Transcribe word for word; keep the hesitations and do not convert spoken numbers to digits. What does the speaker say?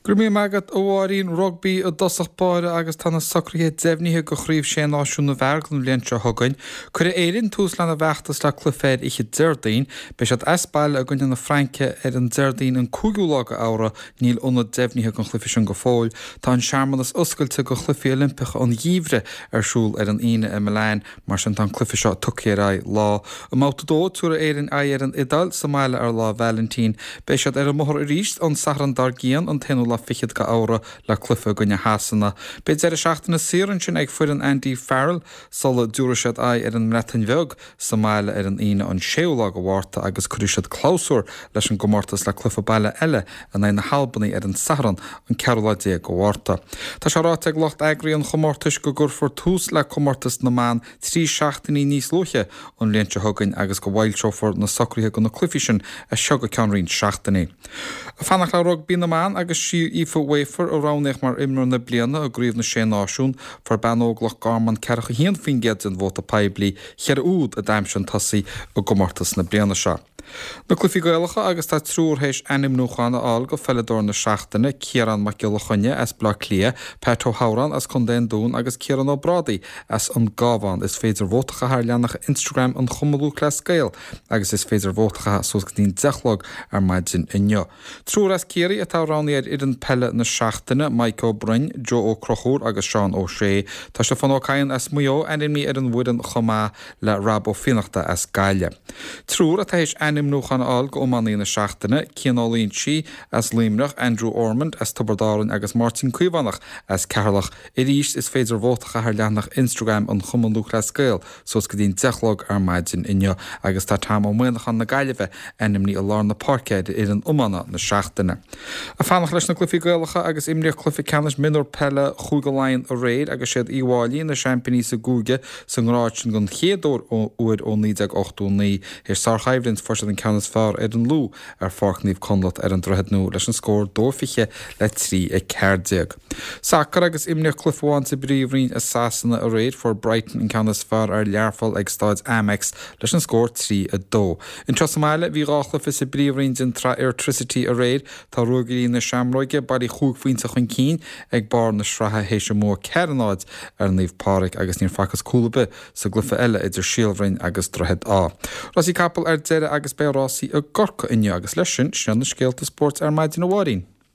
Go raibh míle maith agat, a Mháirín. Rugbaí i dtosach báire agus tá na socruithe deimhnithe do Chraobh Sé Náisiún na bhFear don bhliain seo chugainn. Cuirfidh Éirinn tús lena bhfeachtas le cluiche ar oíche Déardaoin. Beidh siad as baile i gcoinne na Fraince ar an Déardaoin an cúigiú lá de Fheabhra. Níl ionad deimhnithe don chluiche sin go fóill. Tá an searmanas oscailte do Chluichí Oilimpeacha an Gheimhridh ar siúl ar an Aoine i Milan. Mar sin tá an cluiche seo tugtha ar aghaidh lá. I mbabhta a dó, tabharfaidh Éirinn aghaidh ar an Iodáil sa mbaile ar Lá Vailintín. Beidh siad ar an mbóthar arís an Satharn dár gcionn, an t-aonú lá fichead de Fheabhra le cluiche i gcoinne Shasana. Beidh deireadh seachtaine saor ansin ag foireann Andy Farrell sula dtabharfaidh siad aghaidh ar an mBreatain Bheag sa mbaile ar an Aoine an séú lá de Mhárta agus cuirfidh siad clabhsúr leis an gcomórtas le cluiche baile eile in aghaidh na hAlbanaigh ar an Satharn an ceathrú lá déag de Mhárta. Tá sé ráite ag lucht eagraithe an chomórtais go gcuirfear tús le comórtas na mban trí seachtainí níos luaithe an bhliain seo chugainn agus go bhfoilseofar na socruithe do na cluichí sin as seo go ceann roinnt seachtainí. Ag fanacht le rugbaí na mban agus sí Aoife Wafer a roghnaíodh mar imreoir na bliana i gCraobh na Sé Náisiún. Fuair bean óg Loch Garman ceathracha a haon faoin gcéad den vóta poiblí, cheithre úd a d'aimsigh an tosaí i gcomórtas na bliana seo. Na cluichí Gaelacha agus tá triúr théis ainmniúchán a fháil go pheileadóir na seachtaine, Ciarán Mac Giolla Chainnigh as Baile Átha Cliath, Pat Ó hOdhráin as Contae an Dúin agus Ciarán Ó Brádaigh as an gCabhán. Is féidir vóta a chaitheamh ar leathanach Instagram an Chumann Lúthchleas Gael agus is féidir vóta a chaitheamh suas go dtí an deich a chlog ar maidin inniu. Triúr as Ciarraí atá roghnaithe ar fhoireann peile na seachtaine, Mike Ó Broin, Joe Ó Conchúir agus Seán Ó Sé. Tá Stiofán Ó Cadhain as Maigh Eo ainmnithe ar an bhfoireann chomh maith le Rob Ó Fiannachta as Gaillimh. Triúr atá théis ainmniúchán a fháil go iománaí na seachtaine, Cian Ó Loingsigh as Luimneach, Andrew Ormond as Tiobraid Árann agus Máirtín Caomhánach as Ceatharlach. Arís is féidir vóta a chaitheamh ar leathanach Instagram an Chumann Lúthchleas Gael suas go dtí an deich a chlog ar maidin inniu agus tá Tom Ó Muimhneacháin na Gaillimhe ainmnithe i lár na páirce ar fhoireann iomána na seachtaine. Ag fanacht leis na cluichí Gaelacha agus imríodh cluiche ceannais mionúr peile Chúige Laighean aréir agus siad Uíbh Fháilí na seaimpíní sa gcúige sa ngrád sin den chéad uair ó naoi déag ochtó naoi. Théis sárchoimhlint fuair siad an ceann is fearr ar an Lú ar Pháirc Naomh Conleth ar an Droichead Nua leis an scór dó fiche le trí a ceathair déag. Sacar agus imríodh cluiche amháin sa bPríomhroinn i Sasana aréir. Fuair Brighton an ceann is fearr ar Learpholl ag Stáid Amex leis an scór trí a dó. Anseo sa mbaile bhí dhá chluiche sa bPríomhroinn den tSraith Airtricity aréir. Tá Ruagairí na Seamróige bailí chúig phointe chun cinn ag barr na sraithe théis a mbua ceathair a náid ar Naomh Pádraig agus níor facthas cúl ar bith sa gcluiche eile idir Síol Bhroin agus Droichead Átha. Rásaí capall ar deireadh agus beidh rásaí i gCorcaigh inniu agus leis sin, sin iad na scéalta spóirt ar maidin a Mháirín.